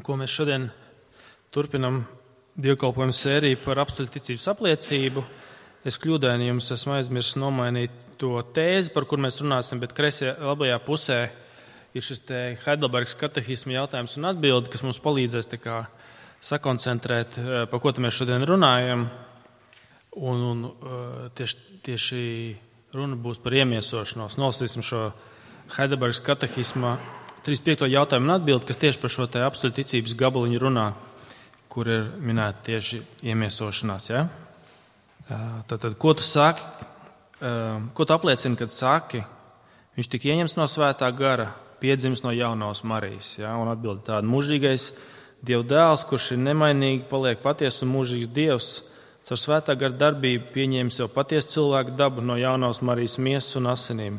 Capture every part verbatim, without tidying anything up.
ko mēs šodien turpinam dievkalpojumu sēriju par apstuļu ticības apliecību. Es kļūdaini jums esmu aizmirsis nomainīt to tēzi, par kur mēs runāsim, bet kreisajā labajā pusē ir šis te Heidelbergas katehisma jautājums un atbildi, kas mums palīdzēs tā kā sakoncentrēt, par ko mēs šodien runājam. Un, un tieši, tieši runa būs par iemiesošanos. Nolasīsim šo Heidelbergas katehisma trīsdesmit piekto jautājumu un atbildi, kas tieši par šo te apstuļu ticības gabaliņu runā, kur ir minēta tieši iemiesošanās. Ja? Tātad, ko tu saki, ko tu apliecini, kad saki, viņš tika ieņemts no svētā gara, piedzimis no jaunās Marijas. Ja? Un atbildi tāda: mūžīgais Dieva dēls, kurš ir nemainīgi, paliek patiesa un mūžīgs Dievs, caur svētā gara darbību pieņēmis jau patiesu cilvēku dabu no jaunās Marijas miesas un asinīm.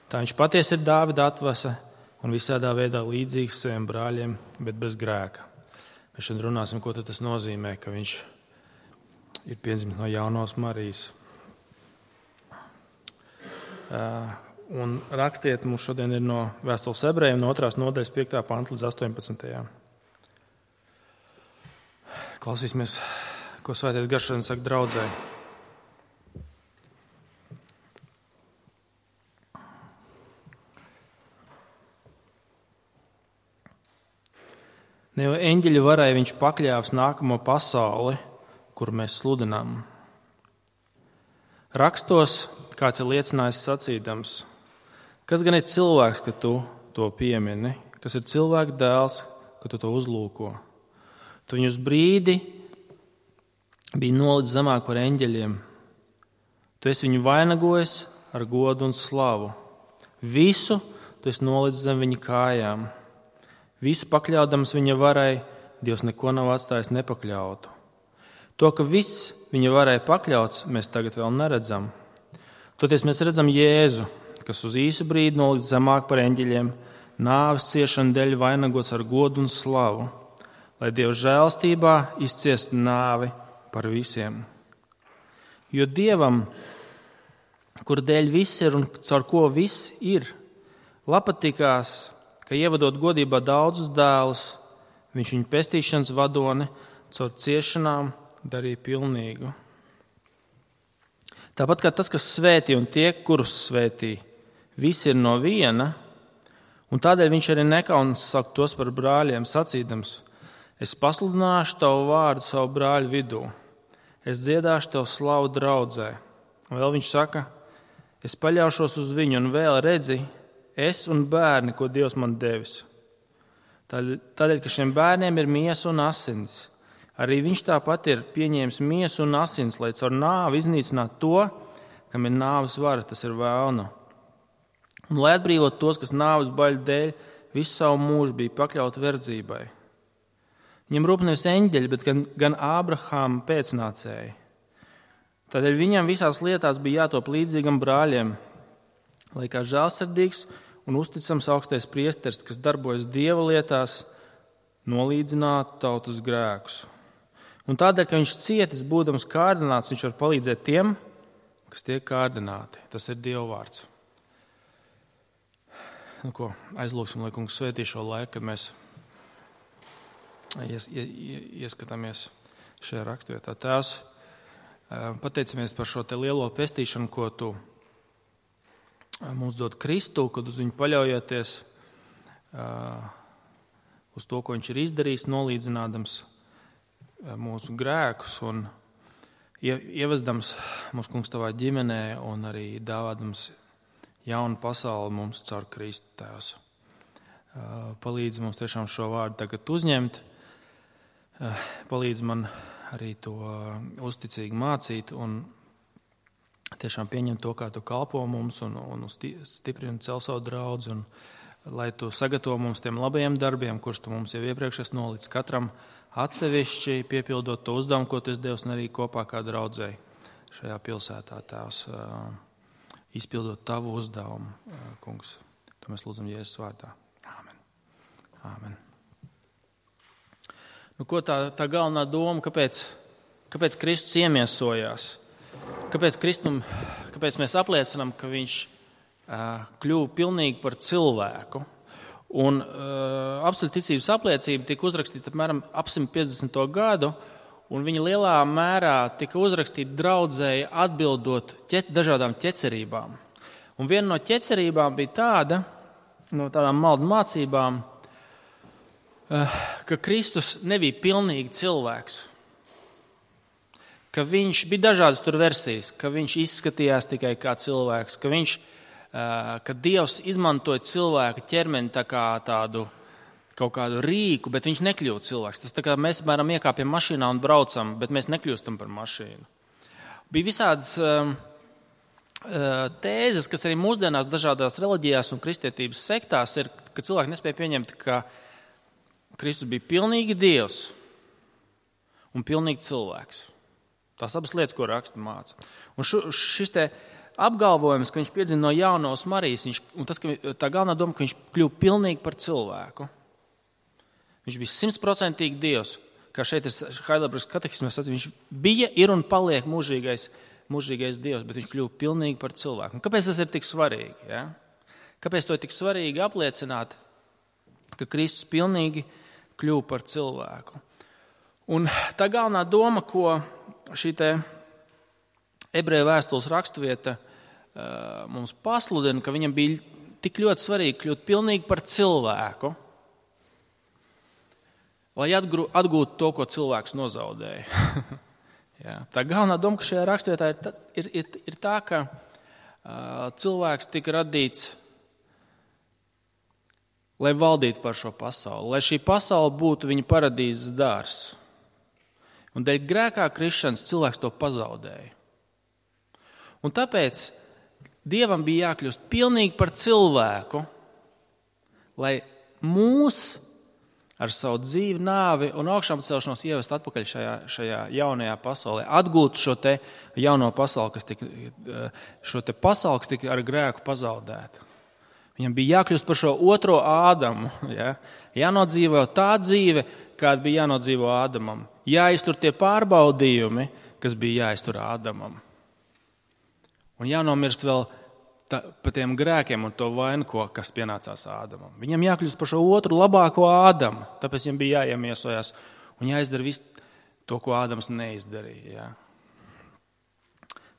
Tā viņš patiesi ir Dāvida atvasa un visādā veidā līdzīgs saviem brāļiem, bet bez grēka. Mēs šodien runāsim, ko tas nozīmē, ka viņš ir piedzimis no jaunās Marijas. Un rakstiet mums šodien ir no vēstules ebrejiem, no otrās nodaļas piektā panta līdz astoņpadsmitajā. Klausīsimies, ko Svētais Gars šodien saka draudzē. Ne jau eņģeļi varēja viņš pakļāvs nākamo pasauli, kur mēs sludinām. Rakstos kāds ir liecinājis sacīdams: kas gan ir cilvēks, ka tu to piemini, kas ir cilvēka dēls, ka tu to uzlūko. Tu viņu uz brīdi bija nolicis zemāk par eņģeļiem. Tu esi viņu vainagojis ar godu un slavu. Visu tu esi nolicis zem viņa kājām. Visu pakļaudams viņa varai, Dievs neko nav atstājis nepakļautu. To, ka viss viņa varai pakļauts, mēs tagad vēl neredzam. Toties mēs redzam Jēzu, kas uz īsu brīdi nolicis zemāk par eņģeļiem, nāves ciešanu dēļ vainagots ar godu un slavu, lai Dieva žēlstībā izciestu nāvi par visiem. Jo Dievam, kur dēļ viss ir un caur ko viss ir, patikās, ka ievadot godībā daudzus dēlus, viņš viņu pestīšanas vadoni caur ciešanām darīja pilnīgu. Tāpat kā tas, kas svētī un tie, kurus svētī, visi ir no viena, un tādēļ viņš arī nekaunas saka tos par brāļiem, sacīdams: es pasludināšu tavu vārdu savu brāļu vidū, es dziedāšu tev slavu draudzē. Un vēl viņš saka: es paļaušos uz viņu, un vēl redzi, es un bērni, ko Dievs man devis. Tādēļ, ka šiem bērniem ir miesa un asins, arī viņš tāpat ir pieņēmis miesu un asins, lai caur nāvi iznīcinātu to, kam ir nāves vara, tas ir vēlnu. Un lai atbrīvot tos, kas nāves baļu dēļ visu savu mūžu bija pakļauti verdzībai. Viņam rūp nevis eņģeļi, bet gan, gan Ābrahāma pēcnācēji. Tādēļ viņam visās lietās bija jātop līdzīgam brāļiem, lai kā žēlsirdīgs un uzticams augstais priesteris, kas darbojas Dieva lietās, nolīdzinātu tautas grēkus. Un tādēļ, ka viņš cietis, būdams kārdināts, viņš var palīdzēt tiem, kas tiek kārdināti. Tas ir Dieva vārds. Nu, ko, aizlūksim, lai Kungs svētī šo laiku, kad mēs ies, ies, ieskatāmies šajā rakstvietā. Tēvs, pateicamies par šo te lielo pestīšanu, ko tu mums dod Kristu, kad uz viņu paļaujoties, uz to, ko viņš ir izdarījis, nolīdzinādams mūsu grēkus un ievezdams mūsu Kungs tavā ģimenē un arī dāvādams jaunu pasauli mums caur Kristu, Tēvs. Palīdz mums tiešām šo vārdu tagad uzņemt, palīdz man arī to uzticīgi mācīt un tiešām pieņemt to, kā tu kalpo mums un, un stiprini cel savu draudzi, un lai tu sagatavo mums tiem labajiem darbiem, kurus tu mums jau iepriekš esi nolicis katram atsevišķi, piepildot to uzdevumu, ko tu esi devis, un arī kopā kā draudzēji šajā pilsētā, Tēvs, izpildot tavu uzdevumu, Kungs. To mēs lūdzam Jēzus vārdā. Āmen. Āmen. Nu, ko tā, tā galvenā doma, kāpēc, kāpēc Kristus iemiesojās? Kāpēc, Kristum, kāpēc mēs apliecinām, ka viņš uh, kļuva pilnīgi par cilvēku? Un uh, apstuļu ticības apliecība tika uzrakstīta apmēram ap simt piecdesmito gadu, un viņa lielā mērā tika uzrakstīta draudzēji atbildot ķet, dažādām ķecerībām. Un viena no ķecerībām bija tāda, no tādām maldu mācībām, uh, ka Kristus nebija pilnīgi cilvēks. Ka viņš bija dažādas tur versijas, ka viņš izskatījās tikai kā cilvēks, ka viņš ka Dievs izmantoja cilvēka ķermeni tā kā tādu kaut kādu rīku, bet viņš nekļūst cilvēks. Tas tā kā mēs, piemēram, iekāpjam mašīnā un braucam, bet mēs nekļūstam par mašīnu. Bija visādas uh, tēzes, kas arī mūsdienās dažādās reliģijās un kristietības sektās ir, ka cilvēki nespēja pieņemt, ka Kristus bija pilnīgi Dievs un pilnīgi cilvēks. Tās abas lietas, ko raksti māca. Un šu, šis te apgalvojums, ka viņš piedzima no jaunās Marijas, viņš, un tas, ka tā galvenā doma, ka viņš kļuva pilnīgi par cilvēku. Viņš bija simtprocentīgi Dievs, kā šeit ir Heidelbergas katehismā sacīts, viņš bija, ir un paliek mūžīgais, mūžīgais Dievs, bet viņš kļuva pilnīgi par cilvēku. Un kāpēc tas ir tik svarīgi? Ja? Kāpēc to ir tik svarīgi apliecināt, ka Kristus pilnīgi kļuva par cilvēku? Un tā galvenā doma, ko šī te ebreju vēstules rakstuvieta mums pasludina, ka viņam bija tik ļoti svarīgi kļūt pilnīgi par cilvēku, lai atgūtu to, ko cilvēks nozaudēja. Jā, tā galvenā doma, ka šajā rakstvietā ir, ir, ir, ir tā, ka uh, cilvēks tika radīts, lai valdītu par šo pasauli, lai šī pasaule būtu viņa paradīzes dārs. Un dēļ grēkā krišanas cilvēks to pazaudēja. Un tāpēc Dievam bija jākļūst pilnīgi par cilvēku, lai mūs ar savu dzīvi, nāvi un augšām celšanos ievest atpakaļ šajā, šajā jaunajā pasaulē. Atgūt šo te jauno pasauli, kas tika, šo te pasauli, kas tika ar grēku pazaudēta. Viņam bija jākļūst par šo otro Ādamu. Ja? Jānodzīvo tā dzīve, kāda bija jānodzīvo Ādamam. Jāiztur tie pārbaudījumi, kas bija jāiztur Ādamam. Un jānomirst vēl tā, par tiem grēkiem un to vainu, ko, kas pienācās Ādamam. Viņam jākļūst par šo otru labāko Ādamu, tāpēc viņam bija jāiemiesojās un jāizdara visu to, ko Ādams neizdarīja. Ja?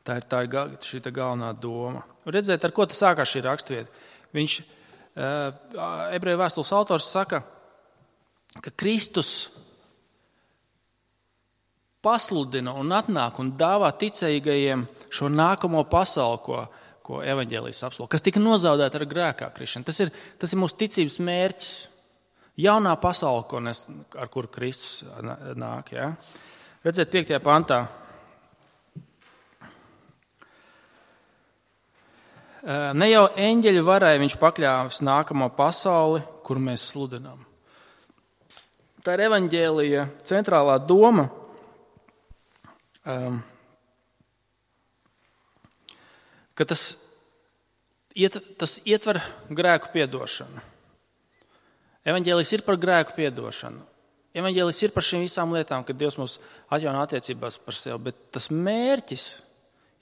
Tā ir, tā ir šī tā galvenā doma. Redzēt, ar ko tas sākās šī rakstvieta. Viņš, ebreju vēstules autors saka, ka Kristus pasludina un atnāk un dāvā ticīgajiem šo nākamo pasauli, ko, ko evaņģēlijs apsolīja, kas tika nozaudēta ar grēkā krišanu. Tas ir, tas ir mūsu ticības mērķis. Jaunā pasaule, ko nes, ar kuru Kristus nāk. Ja? Redzēt, piektajā pantā. Ne jau eņģeļu varai viņš pakļāvis nākamo pasauli, kur mēs sludinām. Tā ir evaņģēlija centrālā doma. Um, ka tas, iet, tas ietver grēku piedošanu. Evaņģēlijs ir par grēku piedošanu. Evaņģēlijs ir par šīm visām lietām, kad Dievs mūs atjauno attiecībās par sevi, bet tas mērķis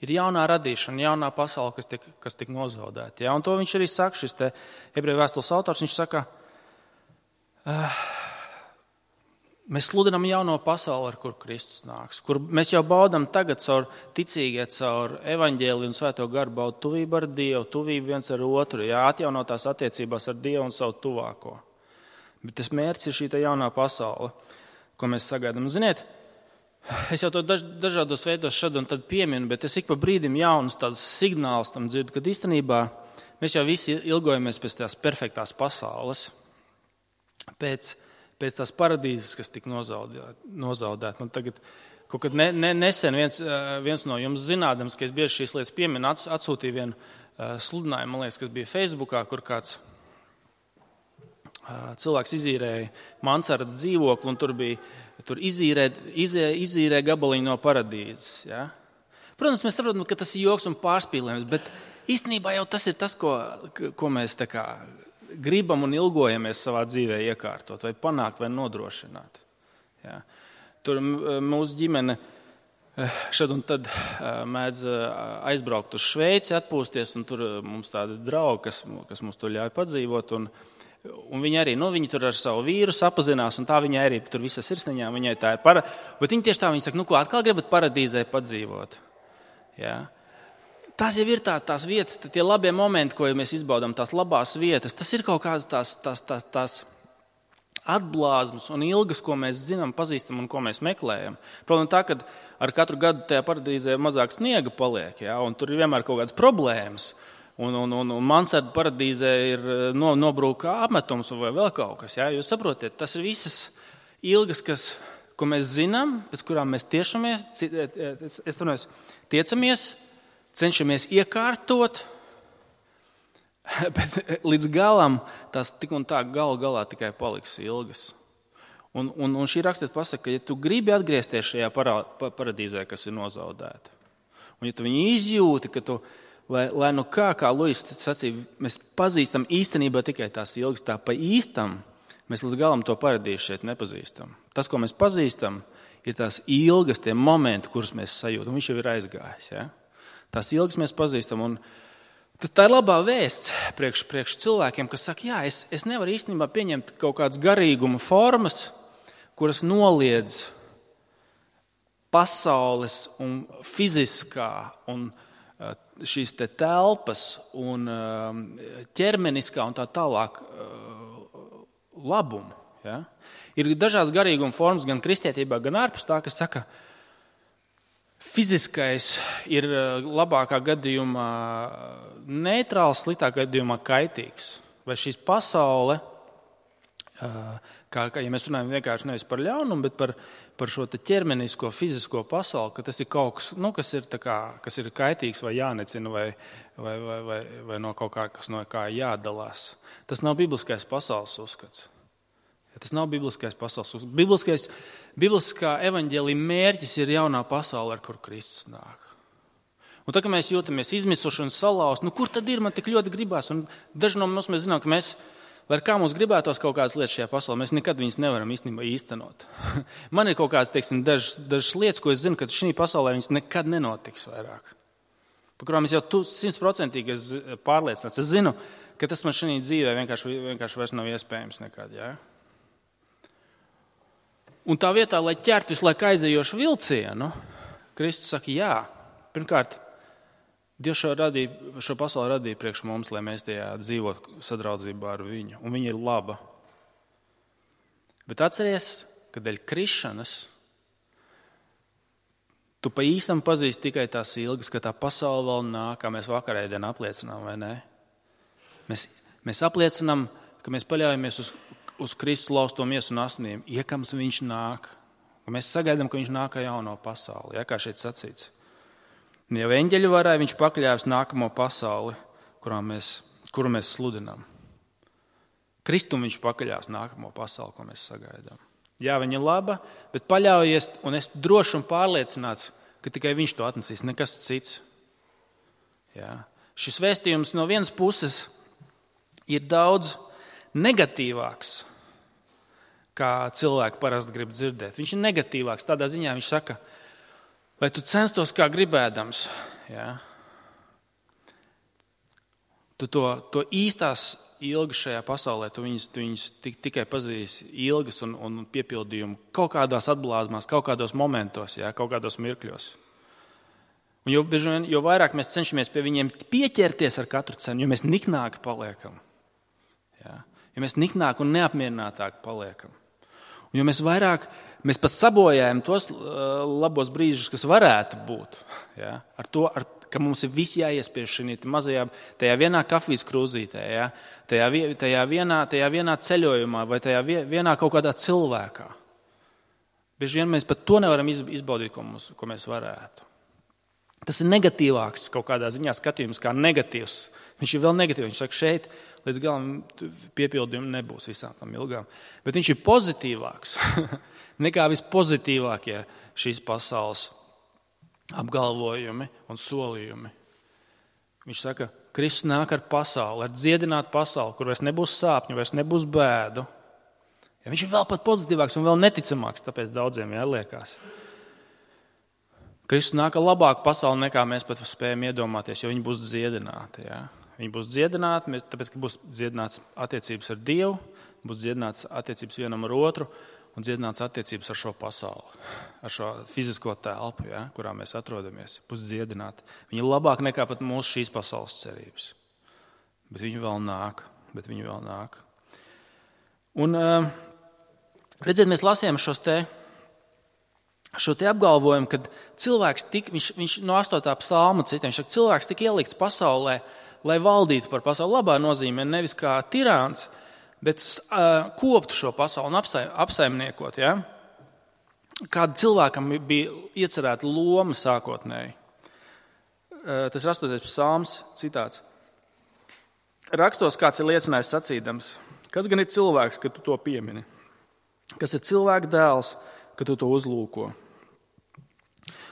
ir jaunā radīšana, jaunā pasaule, kas tiek, kas tiek nozaudēta. Ja? Un to viņš arī saka, šis te ebreju vēstules autors, viņš saka, uh, mēs sludinām jauno pasauli, ar kur Kristus nāks, kur mēs jau baudam tagad caur ticīgie, caur evaņģēliju un svēto garu baudu tuvību ar Dievu, tuvību viens ar otru, jā, atjaunotās attiecībās ar Dievu un savu tuvāko. Bet tas mērķis ir šī jaunā pasaule, ko mēs sagaidām. Ziniet, es jau to daž, dažādos veidos šad un tad pieminu, bet es ik pa brīdim jaunus tādus signālus tam dzirdu, kad īstenībā mēs jau visi ilgojamies pēc tās perfektās pasaules, pēc pēc tās paradīzes, kas tika nozaudēta. nozaudēt. Man tagad kaut kad ne, ne, nesen viens, viens no jums zinādams, ka es bieži šīs lietas pieminu, ats, atsūtīju vienu uh, sludinājumu, man liekas, kas bija Facebookā, kur kāds uh, cilvēks izīrēja mansardu dzīvokli, un tur bija tur izīrē, izē, izīrē gabaliņu no paradīzes. Ja? Protams, mēs saprotam, ka tas ir joks un pārspīlējums, bet īstenībā jau tas ir tas, ko, ko mēs tā kā gribam un ilgojamies savā dzīvē iekārtot, vai panākt, vai nodrošināt. Ja. Tur mūsu ģimene šad un tad mēdz aizbraukt uz Šveici, atpūsties, un tur mums tādi draugi, kas, kas mums tur ļauj padzīvot. Un Un viņa arī, nu, viņa tur ar savu vīru sapazinās, un tā viņa arī tur visas sirsniņā, viņai tā ir para... Bet viņa tieši tā, viņa saka, nu, ko atkal gribat paradīzē padzīvot? Ja? Tās jau ir tā, tās vietas, tie labie momenti, ko mēs izbaudām, tās labās vietas, tas ir kaut kādas tās, tās, tās, tās atblāzmas un ilgas, ko mēs zinām, pazīstam un ko mēs meklējam. Protams, tā, ka ar katru gadu tajā paradīzē mazāk sniega paliek, ja? Un tur ir vienmēr kaut kādas problēmas. Un, un, un, un mansardu paradīzē ir no, nobrūka apmetums vai vēl kaut kas. Ja? Jūs saprotiet, tas ir visas ilgas, kas, ko mēs zinām, pēc kurām mēs tiešamies, es, es runāju, tiecamies, cenšamies iekārtot, bet līdz galam tās tik un tā galu galā tikai paliks ilgas. Un, un, un šī rakstīt pasaka, ka ja tu gribi atgriezties šajā para, paradīzē, kas ir nozaudēta, un ja tu viņu izjūti, ka tu Lai, lai nu kā, kā Luis sacīja, mēs pazīstam īstenībā tikai tās ilgas, tā pa īstam, mēs līdz galam to paradīzi šeit nepazīstam. Tas, ko mēs pazīstam, ir tās ilgas, tie momenti, kurus mēs sajūtam. Viņš jau ir aizgājis. Ja? Tās ilgas mēs pazīstam. Un tā ir labā vēsts priekš, priekš cilvēkiem, kas saka, jā, es, es nevaru īstenībā pieņemt kaut kādas garīguma formas, kuras noliedz pasaules un fiziskā un šīs te telpas un ķermeniskā un tā tālāk labumu. Ja? Ir dažādas garīguma formas gan kristietībā, gan ārpus tā, kas saka, fiziskais ir labākā gadījumā neitrāls, sliktākā gadījumā kaitīgs. Vai šīs pasaule, kā, kā ja mēs runājam vienkārši nevis par ļaunumu, bet par par šo ķermenisko, fizisko pasauli, ka tas ir kaut kas, nu, kas ir, tā kā, kas ir kaitīgs vai jānecina vai, vai, vai, vai, vai no kaut kā, kas no kā jādalās. Tas nav bibliskais pasaules uzskats. Ja tas nav bibliskais pasaules uzskats. Bibliskais, bibliskā evaņģēlija mērķis ir jaunā pasaule, ar kuru Kristus nāk. Un tā, ka mēs jūtamies izmisuši un salausti, nu kur tad ir, man tik ļoti gribās? Un daži no mums mēs zinām, ka mēs lai kā mums gribētos kaut kādas lietas šajā pasaulē, mēs nekad viņas nevaram īstenībā īstenot. Man ir kaut kādas, teiksim, dažas, dažas lietas, ko es zinu, ka šī pasaulē viņas nekad nenotiks vairāk. Par kurām es jau simtprocentīgi pārliecināts. Es zinu, ka tas man šī dzīvē vienkārši, vienkārši vairs nav iespējams nekad. Ja? Un tā vietā, lai ķertu visu laiku aizējošu vilcienu, Kristus saka, jā, pirmkārt, Dievs šo, radīja, šo pasauli radīja priekš mums, lai mēs tajā dzīvotu sadraudzībā ar viņu. Un viņa ir laba. Bet atceries, ka dēļ krišanas tu pa īstam pazīsti tikai tās ilgas, ka tā pasaule vēl nāk, kā mēs vakarēdien apliecinām, vai ne? Mēs, mēs apliecinām, ka mēs paļaujamies uz, uz Kristus lausto miesu un asinīm, iekams viņš nāk. Ka mēs sagaidām, ka viņš nāk jauno pasauli, ja, kā šeit sacīts. Jau eņģeļu varēja viņš pakļāvis nākamo pasauli, kurā mēs, kuru mēs sludinām. Kristum viņš pakļāvis nākamo pasauli, ko mēs sagaidām. Jā, viņa ir laba, bet paļaujies, un es droši un pārliecināts, ka tikai viņš to atnesīs, nekas cits. Jā. Šis vēstījums no vienas puses ir daudz negatīvāks, kā cilvēki parasti grib dzirdēt. Viņš ir negatīvāks, tādā ziņā viņš saka, lai tu censtos kā gribēdams, ja? Tu to, to īstās ilgas šajā pasaulē, tu viņas, tu viņas tik, tikai pazīsi ilgas un, un piepildījumu kaut kādās atblāzmās, kaut kādos momentos, ja? Kaut kādos mirkļos. Un jo, jo vairāk mēs cenšamies pie viņiem pieķerties ar katru cenu, jo mēs niknāki paliekam. Ja? Jo mēs niknāki un neapmierinātāki paliekam. Un jo mēs vairāk Mēs pat sabojājam tos labos brīžus, kas varētu būt. Ja? Ar to, ar, ka mums ir visi jāiespiež šī mazajā, tajā vienā kafijas krūzītē, ja? tajā, tajā, vienā, tajā vienā ceļojumā vai tajā vienā kaut kādā cilvēkā. Bieži vien mēs pat to nevaram izbaudīt, ko, mums, ko mēs varētu. Tas ir negatīvāks kaut kādā ziņā skatījums, kā negatīvs. Viņš ir vēl negatīvs. Viņš saka, šeit līdz galam piepildījumi nebūs visām tam ilgām. Bet viņš ir pozitīvāks. Nekā vispozitīvākie šīs pasaules apgalvojumi un solījumi. Viņš saka, Kristus nāk ar pasauli, ar dziedinātu pasauli, kur vairs nebūs sāpņu, vairs nebūs bēdu. Ja viņš ir vēl pat pozitīvāks un vēl neticamāks, tāpēc daudziem jāliekās. Kristus nāk ar labāku pasauli, nekā mēs pat spējam iedomāties, jo viņi būs dziedināti. Ja? Viņi būs dziedināti, tāpēc, ka būs dziedināts attiecības ar Dievu, būs dziedināts attiecības vienam ar otru un dziedināts attiecības ar šo pasauli, ar šo fizisko telpu, ja, kurā mēs atrodamies. Būs dziedināti. Viņi ir labāk nekā pat mūsu šīs pasaules cerības. Bet viņi vēl nāk. Bet viņi vēl nāk. Un, redziet, mēs lasījām šos te, šo te apgalvojumu, kad cilvēks tik, viņš, viņš no astotā psalma citiem, viņš saka, cilvēks tik ielikts pasaulē, lai valdītu par pasauli. Labā nozīmē nevis kā tirāns, bet uh, koptu šo pasauli un apsaim, apsaimniekot. Ja? Kāda cilvēkam bija iecerēta loma sākotnēji. Uh, tas ir astotais psalms, citāts. Rakstos kāds ir liecinājis sacīdams, kas gan ir cilvēks, ka tu to piemini? Kas ir cilvēka dēls, ka tu to uzlūko?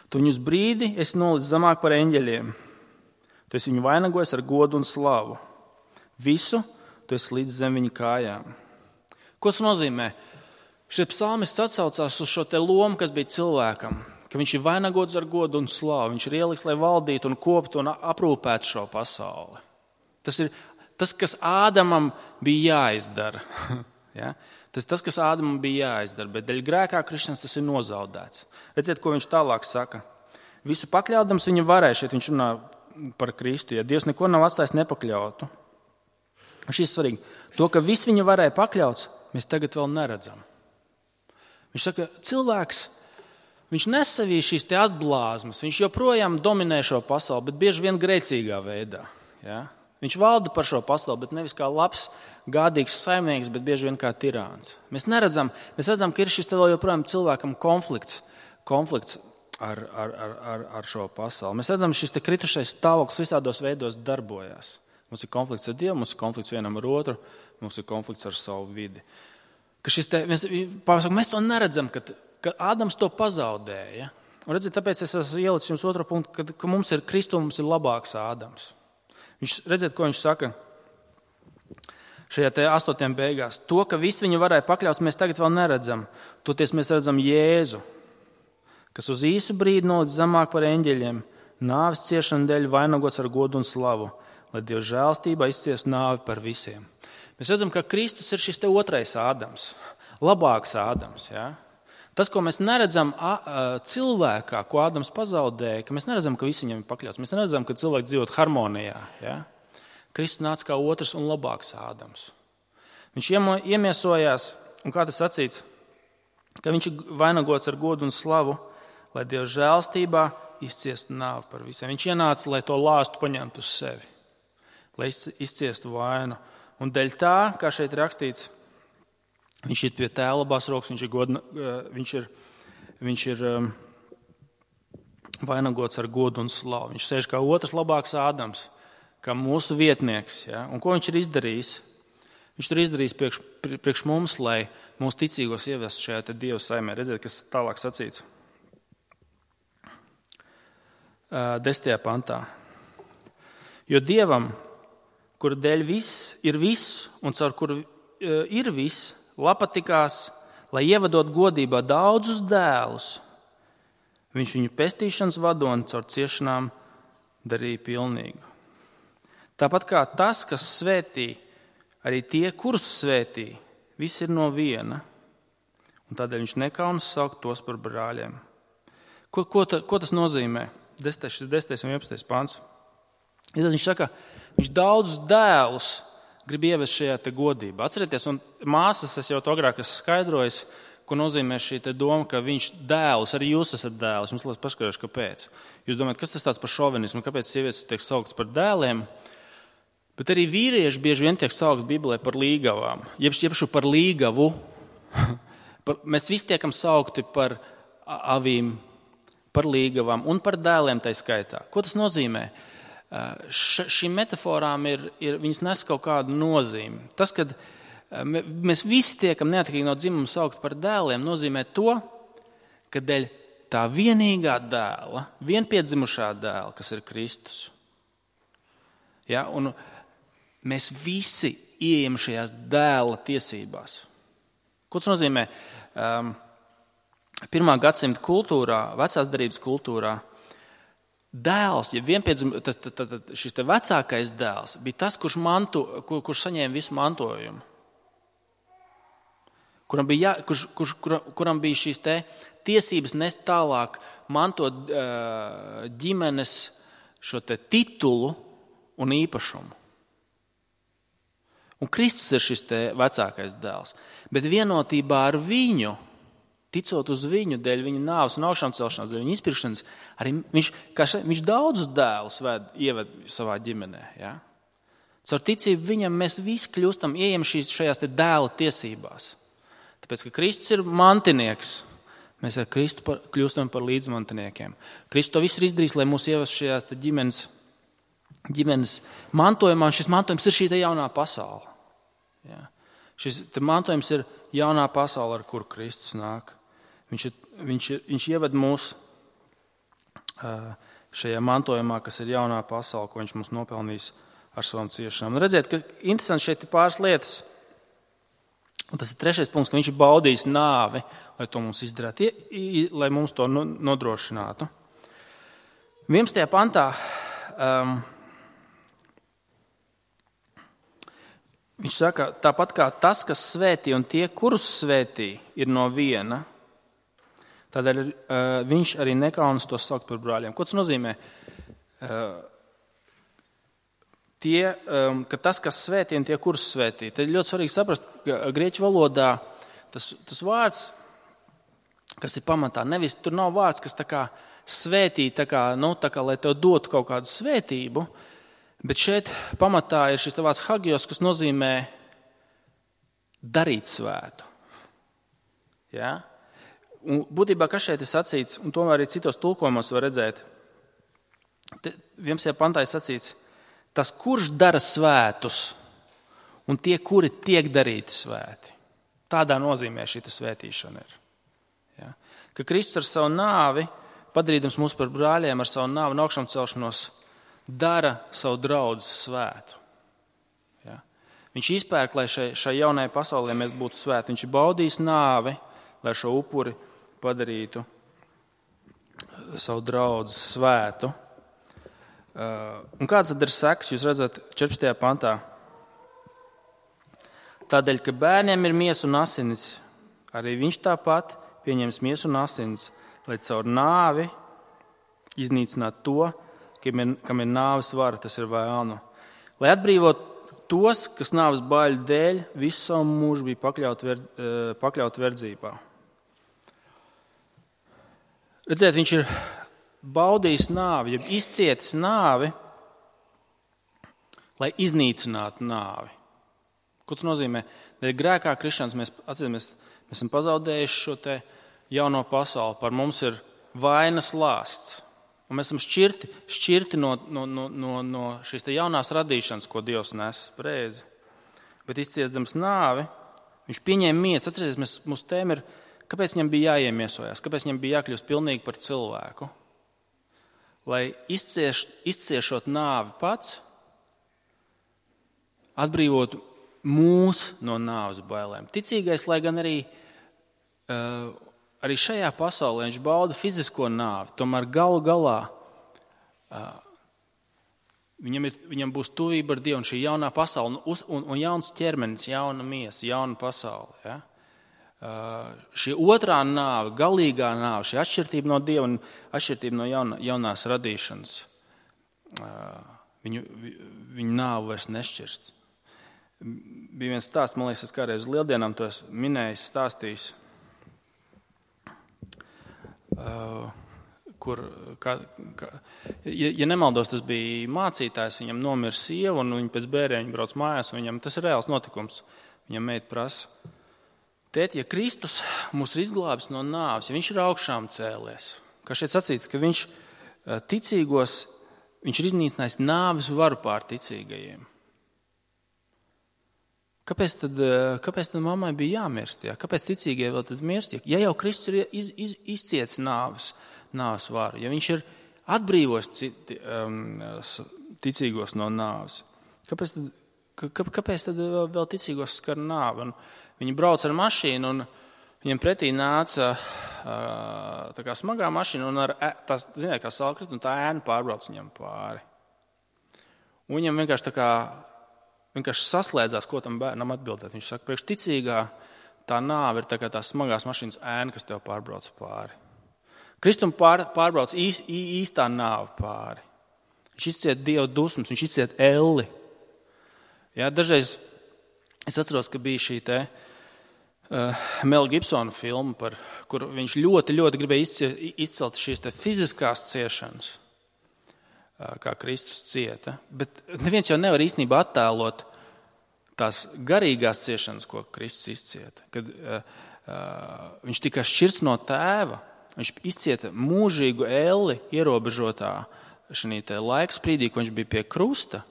Tu viņus brīdi esi nolicis zemāk par eņģeļiem. Tu esi viņu vainagojis ar godu un slavu. Visu tu esi līdz zem viņa kājām. Ko tas nozīmē? Šie psalmists atsaucās uz šo te lomu, kas bija cilvēkam, ka viņš ir vainagots ar godu un slavu. Viņš ir ieliks, lai valdītu un koptu un aprūpētu šo pasauli. Tas ir tas, kas Ādamam bija jāizdara. Ja? Tas ir tas, kas Ādamam bija jāizdara, bet dēļ grēkā krišanas tas ir nozaudēts. Redziet, ko viņš tālāk saka. Visu pakļaudams viņa varēja, šeit viņš runā par Kristu, ja Dievs neko nav atstājis nepakļautu. Šis ir svarīgi. To, ka viss viņa varēja pakļauts, mēs tagad vēl neredzam. Viņš saka, cilvēks, viņš nes sevī šīs te atblāzmas, viņš joprojām dominē šo pasauli, bet bieži vien grēcīgā veidā. Ja? Viņš valda par šo pasauli, bet nevis kā labs, gādīgs saimnieks, bet bieži vien kā tirāns. Mēs neredzam, mēs redzam, ka ir šis te vēl joprojām cilvēkam konflikts, konflikts ar, ar, ar, ar, ar šo pasauli. Mēs redzam, šis te kritušais stāvoklis visādos veidos darbojas. Mums ir konflikts ar Dievu, mums ir konflikts vienam ar otru, mums ir konflikts ar savu vidi. Ka šis te, mēs, mēs to neredzam, ka, ka Ādams to pazaudēja. Un redziet, tāpēc es esmu ielicis jums otru punktu, ka, ka mums ir Kristu, mums ir labāks Ādams. Viņš, redziet, ko viņš saka šajā te astotiem beigās. To, ka viss viņu varēja pakļaut, mēs tagad vēl neredzam. Toties mēs redzam Jēzu, kas uz īsu brīdi nolicis zemāk par eņģeļiem, nāves ciešanu dēļ vainagots ar godu un slavu, lai Dieva žēlstībā izciestu nāvi par visiem. Mēs redzam, ka Kristus ir šis te otrais Ādams, labāks Ādams. Ja? Tas, ko mēs neredzam cilvēkā, ko Ādams pazaudēja, ka mēs neredzam, ka visi viņam ir pakļauts. Mēs neredzam, ka cilvēks dzīvot harmonijā. Ja? Kristus nāca kā otrs un labāks Ādams. Viņš iemiesojās, un kā tas sacīts, ka viņš ir vainagots ar godu un slavu, lai Dieva žēlstībā izciestu nāvi par visiem. Viņš ienāca, lai to lāstu paņemtu uz sevi, lai izciestu vainu. Un dēļ tā, kā šeit rakstīts, viņš ir pie tēva labās rokas, viņš ir, godna, viņš ir, viņš ir um, vainagots ar godu un slavu. Viņš sēž kā otrs labāks Ādams, kā mūsu vietnieks. Ja? Un ko viņš ir izdarījis? Viņš ir izdarījis priekš, priekš mums, lai mūsu ticīgos ievestu šajā te Dieva saimē. Redziet, kas tālāk sacīts. Desmitajā pantā. Jo Dievam, kura dēļ viss ir viss un caur kuru ir viss, patikās, lai ievadot godībā daudzus dēlus, viņš viņu pestīšanas vadoni caur ciešanām darīja pilnīgu. Tāpat kā tas, kas svētī, arī tie, kurus svētī, viss ir no viena, un tādēļ viņš nekaunas saukt tos par brāļiem. Ko, ko, ta, ko tas nozīmē? desmitais un vienpadsmitais pants. Viņš saka, viņš daudzus dēlus grib ievest šajā te godībā. Atcerieties, un māsas, es jau to agrāk esmu skaidrojis, ko nozīmē šī te doma, ka viņš dēlus, arī jūs esat dēlus. Mums liekas paskaidrošu, kāpēc. Jūs domājat, kas tas tāds par šovinismu, kāpēc sievietes tiek sauktas par dēliem? Bet arī vīrieši bieži vien tiek saukti Bībelē par līgavām. Jebšu par līgavu. Mēs visi tiekam saukti par avīm, par līgavām un par dēliem tai skaitā. Ko tas nozīmē? Š, šīm metaforām ir, ir, viņas nes kaut kādu nozīmi. Tas, kad mēs visi tiekam neatkarīgi no dzimuma saukt par dēliem, nozīmē to, ka dēļ tā vienīgā dēla, vienpiedzimušā dēla, kas ir Kristus. Ja, un mēs visi ieejam šajās dēla tiesībās. Ko tas nozīmē? Um, Pirmā gadsimta kultūrā, vecās derības kultūrā, dēls, ja vienpiedzim, tas, tas, tas, šis te vecākais dēls bija tas, kurš, mantu, kur, kurš saņēma visu mantojumu. Kuram bija, jā, kurš, kurš, kur, kuram bija šīs te tiesības nest tālāk, mantot ģimenes šo te titulu un īpašumu. Un Kristus ir šis te vecākais dēls. Bet vienotībā ar viņu, ticot uz viņu dēļ, viņa nāves un augšām celšanās, dēļ viņa izpirkšanas, arī viņš, še, viņš daudzus dēlus ved, ieved savā ģimenē. Ja? Caur ticību viņam mēs visi kļūstam, ieejam šīs, šajās te dēla tiesībās. Tāpēc, ka Kristus ir mantinieks, mēs ar Kristu par, kļūstam par līdzmantiniekiem. Kristus to visu ir izdarījis, lai mūs ievest šajās te ģimenes, ģimenes mantojumā, un šis mantojums ir šī te jaunā pasaule. Ja? Šis te mantojums ir jaunā pasaule, ar kuru Kristus nāk. Viņš, ir, viņš, ir, viņš ieved mūs šajā mantojumā, kas ir jaunā pasaule, ko viņš mums nopelnīs ar savām ciešanām. Un redziet, ka interesanti šeit ir pāris lietas. Un tas ir trešais punkts, ka viņš ir baudījis nāvi, lai to mums izdarītu, lai mums to nodrošinātu. vienpadsmitajā pantā um, viņš saka, tāpat kā tas, kas svētī un tie, kurus svētī, ir no viena, tādēļ uh, viņš arī nekaunas to saukt par brāļiem. Ko tas nozīmē? Uh, Tie, um, ka tas, kas svētī un tie, kurus svētī. Tad ļoti svarīgi saprast, ka grieķu valodā tas, tas vārds, kas ir pamatā, nevis tur nav vārds, kas tā kā svētī, tā kā, nu, tā kā, lai tev dotu kaut kādu svētību, bet šeit pamatā ir šis vārds hagios, kas nozīmē darīt svētu. Ja? Un būtībā, kas šeit ir sacīts, un tomēr arī citos tulkojumos var redzēt, vienpadsmitajā pantā ir sacīts, tas, kurš dara svētus, un tie, kuri tiek darīti svēti. Tādā nozīmē šī svētīšana ir. Ja? Ka Kristus ar savu nāvi, padarīdams mūs par brāļiem, ar savu nāvi un augšām celšanos, dara savu draudzi svētu. Ja? Viņš izpērk, lai šai, šai jaunajai pasaulē mēs būtu svēti. Viņš ir baudījis nāvi, lai šo upuri padarītu savu draudzi svētu. Uh, un kāds tad ir seks, jūs redzat četrpadsmitajā pantā? Tādēļ, ka bērniem ir miesa un asinis, arī viņš tāpat pieņems miesu un asinis, lai caur nāvi iznīcinātu to, kam ir, kam ir nāves vara, tas ir vēlnu. Lai atbrīvot tos, kas nāves baiļu dēļ visu savu mūžu bija pakļaut, ver, pakļaut verdzībā. Redziet, viņš ir baudījis nāvi, ja izcietis nāvi, lai iznīcinātu nāvi. Ko tas nozīmē? Dēļ grēkā krišanas mēs, atcīmies, mēs esam pazaudējuši šo te jauno pasauli. Par mums ir vainas lāsts. Un mēs esam šķirti, šķirti no, no, no, no, no šīs te jaunās radīšanas, ko Dievs nes prēzi. Bet izciesdams nāvi, viņš pieņēma miesu. Atcerieties, mēs, mūsu tēma ir, kāpēc viņam bija jāiemiesojās, kāpēc viņam bija jākļūst pilnīgi par cilvēku. Lai izcieš, izciešot nāvi pats, atbrīvotu mūs no nāves bailēm. Ticīgais, lai gan arī, uh, arī šajā pasaulē viņš bauda fizisko nāvi, tomēr galu galā uh, viņam, ir, viņam būs tuvība ar Dievu un šī jaunā pasaule un, un, un jauns ķermenis, jauna miesa, jauna pasaule. Ja? Uh, šī otrā nāve, galīgā nāve, šī atšķirtība no Dieva un atšķirtība no jauna, jaunās radīšanas, uh, viņu, viņu nāvu vairs nešķirst. Bija viens stāsts, man liekas, es kādreiz uz lieldienām to esmu minējis, stāstījis, uh, kur, kā, kā, ja, ja nemaldos, tas bija mācītājs, viņam nomira sieva un viņa pēc bērēņa brauc mājās, un viņam tas ir reāls notikums. Viņam meita prasa, tēt, ja Kristus mūs ir izglābis no nāves, ja viņš ir augšām cēlies, kā šeit sacīts, ka viņš ticīgos, viņš ir iznīcinājis nāves varu pār ticīgajiem. Kāpēc tad, kāpēc tad mammai bija jāmirst? Jā? Kāpēc ticīgie vēl tad mirst? Ja jau Kristus ir iz, iz, izcietis nāves, nāves varu, ja viņš ir atbrīvojis citi, um, ticīgos no nāves, kāpēc tad, kā, kāpēc tad vēl ticīgos skar nāvi? Un viņi brauc ar mašīnu un viņiem pretī nāca tā kā smagā mašīna un ar tās, ziniet, kā salkrit, un tā ēna pārbrauc viņam pāri. Un viņam vienkārši tā kā, vienkārši saslēdzās, ko tam bērnam atbildēt. Viņš saka, priekš ticīgā tā nāve ir tā kā tās smagās mašīnas ēna, kas tev pārbrauc pāri. Kristum pār, pārbrauc īs, īstā nāve pāri. Viņš izciet Dieva dusmas, viņš izciet elli. Jā, dažreiz es atceros, ka bija šī te uh, Mela Gibsona filma, par, kur viņš ļoti, ļoti gribēja izciet, izcelt šīs te fiziskās ciešanas, uh, kā Kristus cieta. Bet neviens jau nevar īstenībā attēlot tās garīgās ciešanas, ko Kristus izcieta. Kad uh, uh, viņš tika šķirts no tēva, viņš izcieta mūžīgu elli ierobežotā šī te laika sprīdī, ko viņš bija pie krusta.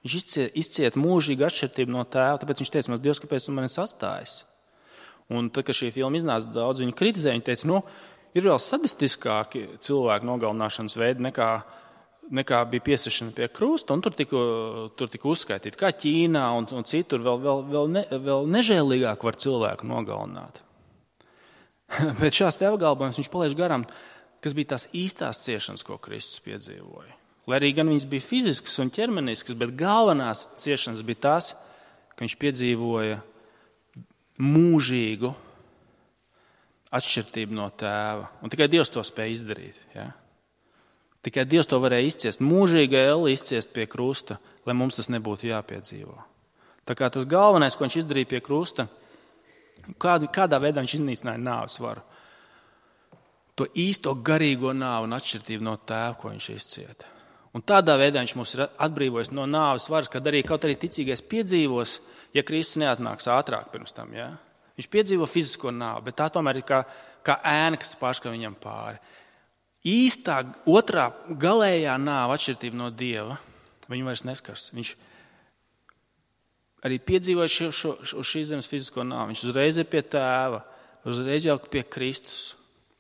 Viņš izcieta, izcieta mūžīgu atšķirtību no tēva, tāpēc viņš teica, mans Dievs, kāpēc tu mani sastājis? Un tad, kad šī filma iznāca, daudz viņu kritizēja, viņi teica, nu, ir vēl sadistiskāki cilvēku nogalināšanas veidi nekā, nekā bija piesišana pie krusta, un tur tika, tur tika uzskaitīti, kā Ķīnā un, un citur vēl, vēl, vēl, ne, vēl nežēlīgāk var cilvēku nogalināt. Bet šās te apgalvojums viņš palaiž garām, kas bija tās īstās ciešanas, ko Kristus piedzīvoja. Lai arī gan viņas bija fiziskas un ķermeniskas, bet galvenās ciešanas bija tās, ka viņš piedzīvoja mūžīgu atšķirtību no tēva. Un tikai Dievs to spēja izdarīt. Ja? Tikai Dievs to varēja izciest. Mūžīga elli izciest pie krusta, lai mums tas nebūtu jāpiedzīvo. Tā kā tas galvenais, ko viņš izdarīja pie krusta, kādā, kādā veidā viņš iznīcināja nāves varu. To īsto garīgo nāvu un atšķirtību no tēva, ko viņš izcieta. Un tādā veidā viņš mūs ir atbrīvojis no nāves varas, kad arī kaut arī ticīgais piedzīvos, ja Kristus neatnāks ātrāk pirms tam. Ja? Viņš piedzīvo fizisko nāvi, bet tā tomēr ir kā, kā ēna, kas pārskar viņam pāri. Īstā otrā galējā nāva atšķirtība no Dieva, viņu vairs neskars. Viņš arī piedzīvoja šo, šo, šo šīs zemes fizisko nāvi. Viņš uzreiz ir pie tēva, uzreiz jau pie Kristus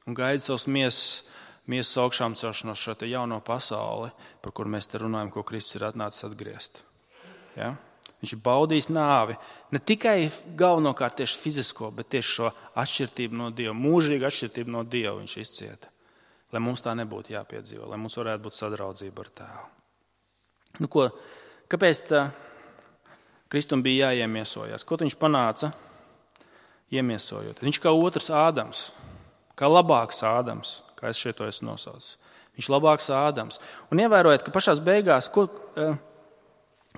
un gaida savus miesas, miesas augšām celšanos šo te jauno pasauli, par kur mēs te runājam, ko Kristus ir atnācis atgriezt. Ja? Viņš ir baudījis nāvi, ne tikai galvenokārt tieši fizisko, bet tieši šo atšķirtību no Dieva, mūžīgu atšķirtību no Dieva viņš izcieta, lai mums tā nebūtu jāpiedzīvo, lai mums varētu būt sadraudzība ar tēvu. Nu ko, kāpēc tā Kristum bija jāiemiesojās? Ko viņš panāca iemiesojot? Viņš kā otrs Ādams, kā labāks Ādams, kā es šeit to esmu nosaucis. Viņš labāks Ādams. Un ievērojiet, ka pašās beigās, kur,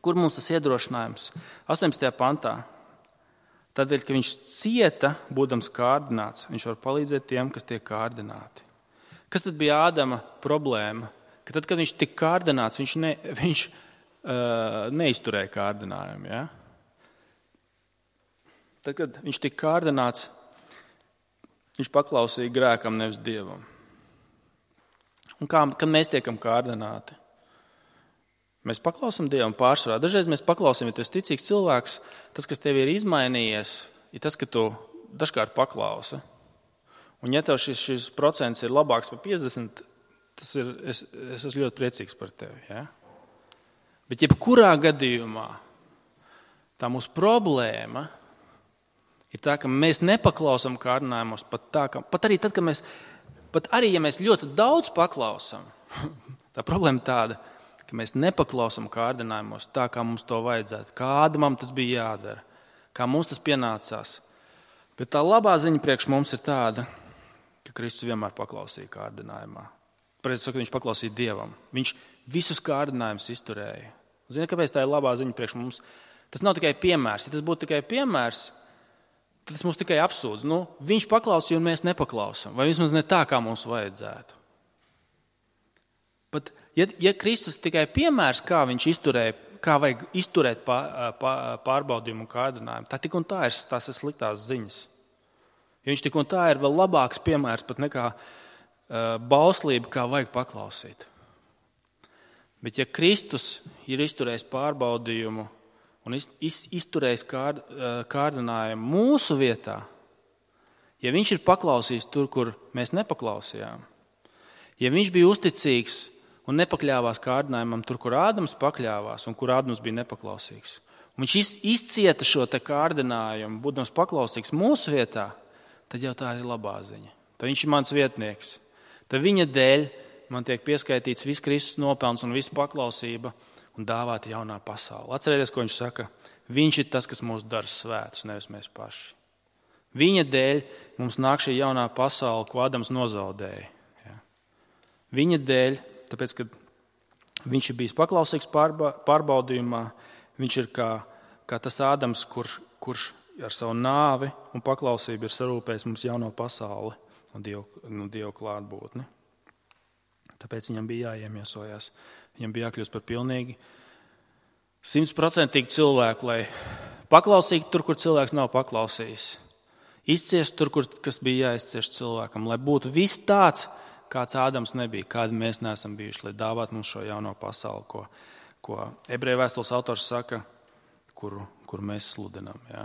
kur mums tas iedrošinājums? astoņpadsmitajā pantā. Tādēļ, ka viņš cieta, būdams kārdināts, viņš var palīdzēt tiem, kas tiek kārdināti. Kas tad bija Ādama problēma? Ka tad, kad viņš tika kārdināts, viņš, ne, viņš uh, neizturēja kārdinājumu. Ja? Tad, kad viņš tika kārdināts, viņš paklausīja grēkam, nevis Dievam. Un kā, kad mēs tiekam kārdināti? Mēs paklausam Dievam pārsvarā. Dažreiz mēs paklausam, ja tu esi ticīgs cilvēks, tas, kas tev ir izmainījies, ir tas, ka tu dažkārt paklausi. Un ja tev šis, šis procents ir labāks par piecdesmit, tas ir, es, es esmu ļoti priecīgs par tevi. Ja? Bet jebkurā gadījumā tā mūsu problēma ir tā, ka mēs nepaklausam kārdinājumos pat tā, ka, pat arī tad, kad mēs, pat arī, ja mēs ļoti daudz paklausam, tā problēma tāda, ka mēs nepaklausam kārdinājumos tā, kā mums to vajadzētu, kāda mums tas bija jādara, kā mums tas pienācās. Bet tā labā ziņa priekš mums ir tāda, ka Kristus vienmēr paklausīja kārdinājumā. Pareizi sakot, viņš paklausīja Dievam. Viņš visus kārdinājumus izturēja. Ziniet, kāpēc tā ir labā ziņa priekš mums? Tas nav tikai piemērs. Ja tas būtu tikai piemērs, tad tas mums tikai apsūdz. Nu, viņš paklausīja un mēs nepaklausam. Vai vismaz ne tā, kā mums vajadzētu. Pat, ja, ja Kristus tikai piemērs, kā viņš izturēja, kā vajag izturēt pārbaudījumu un kārdinājumu, tā tik un tā ir tās ir sliktās ziņas. Jo viņš tik un tā ir vēl labāks piemērs pat nekā uh, bauslība, kā vajag paklausīt. Bet ja Kristus ir izturējis pārbaudījumu un iz, iz, izturējis kād, uh, kārdinājumu mūsu vietā, ja viņš ir paklausījis tur, kur mēs nepaklausījām, ja viņš bija uzticīgs un nepakļāvās kārdinājumam tur, kur Ādams pakļāvās un kur Ādams bija nepaklausīgs, un viņš izcieta šo te kārdinājumu, būdams paklausīgs mūsu vietā, tad jau tā ir labā ziņa. tad viņš ir mans vietnieks. Tad viņa dēļ man tiek pieskaitīts viss Kristus nopelns un visa paklausība un dāvāta jaunā pasaule. Atcerieties, ko viņš saka. Viņš ir tas, kas mūs dara svētus, nevis mēs paši. Viņa dēļ mums nāk šī jaunā pasaule, ko Ādams nozaudēja. Ja. Viņa dēļ, tāpēc, ka viņš ir bijis paklausīgs pārba, pārbaudījumā, viņš ir kā, kā tas Ādams, kurš, kurš ar savu nāvi un paklausību ir sarūpējis mums jauno pasauli un Dievu, nu, Dievu klātbūtni. Tāpēc viņam bija jāiemiesojās. Viņam bija jākļūst par pilnīgi simtprocentīgi cilvēku, lai paklausītu tur, kur cilvēks nav paklausījis. Izciest tur, kur kas bija jāizcieš cilvēkam, lai būtu viss tāds, kāds Ādams nebija, kādi mēs neesam bijuši, lai dāvātu mums šo jauno pasauli, ko, ko ebreju vēstules autors saka, kuru, kuru mēs sludinām. Ja?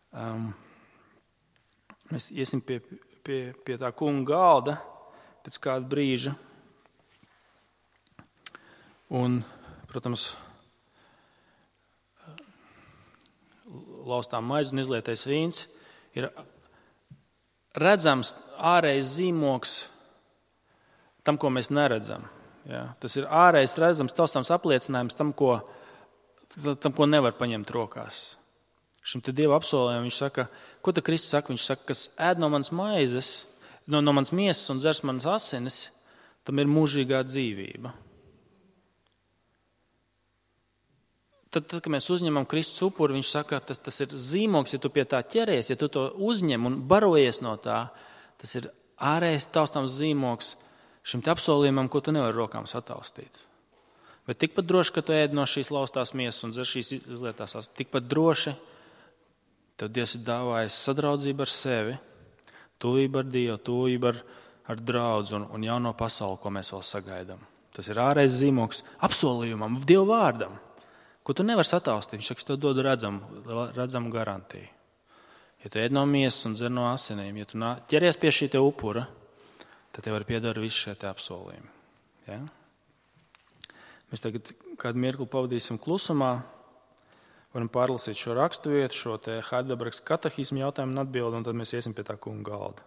Um, mēs iesim pie, pie, pie tā kunga galda pēc kāda brīža. Un, protams, laustā maize un izlietais vīns ir redzams ārējais zīmoks tam, ko mēs neredzam. Ja? Tas ir ārējais redzams taustāms apliecinājums tam, ko, tam, ko nevar paņemt rokās. Šim te Dieva apsolījumam viņš saka, ko te Kristus saka? Viņš saka, kas ēd no manas maizes, no, no manas miesas un dzers manas asinis, tam ir mūžīgā dzīvība. Tad, tad, kad mēs uzņemam Kristus upuri, viņš saka, tas, tas ir zīmoks, ja tu pie tā ķeries, ja tu to uzņem un barojies no tā, tas ir ārējais taustāms zīmoks šim te apsolījumam, ko tu nevari rokām sataustīt. Bet tikpat droši, ka tu ēd no šīs laustās miesas un dzer šīs izlietās, tikpat droši tev Dievs ir dāvājis sadraudzību ar sevi, tuvību ar Dievu, tuvību ar, ar draudzu un, un jauno pasauli, ko mēs vēl sagaidām. Tas ir ārējais zīmoks apsolījumam, Dieva vārdam, ko tu nevari sataustīt. Viņš saka, es tev dodu redzamu, redzamu garantiju. Ja tu ēd no miesas un dzer no asinīm, ja tu ķeries pie šī te upura, tad tev var piedara visi šie te apsolījumi. Ja? Mēs tagad kādu mirkli pavadīsim klusumā, varam pārlasīt šo rakstu vietu, šo te Heidelbergas katehismu jautājumu un atbildi, un tad mēs iesim pie tā kunga galda.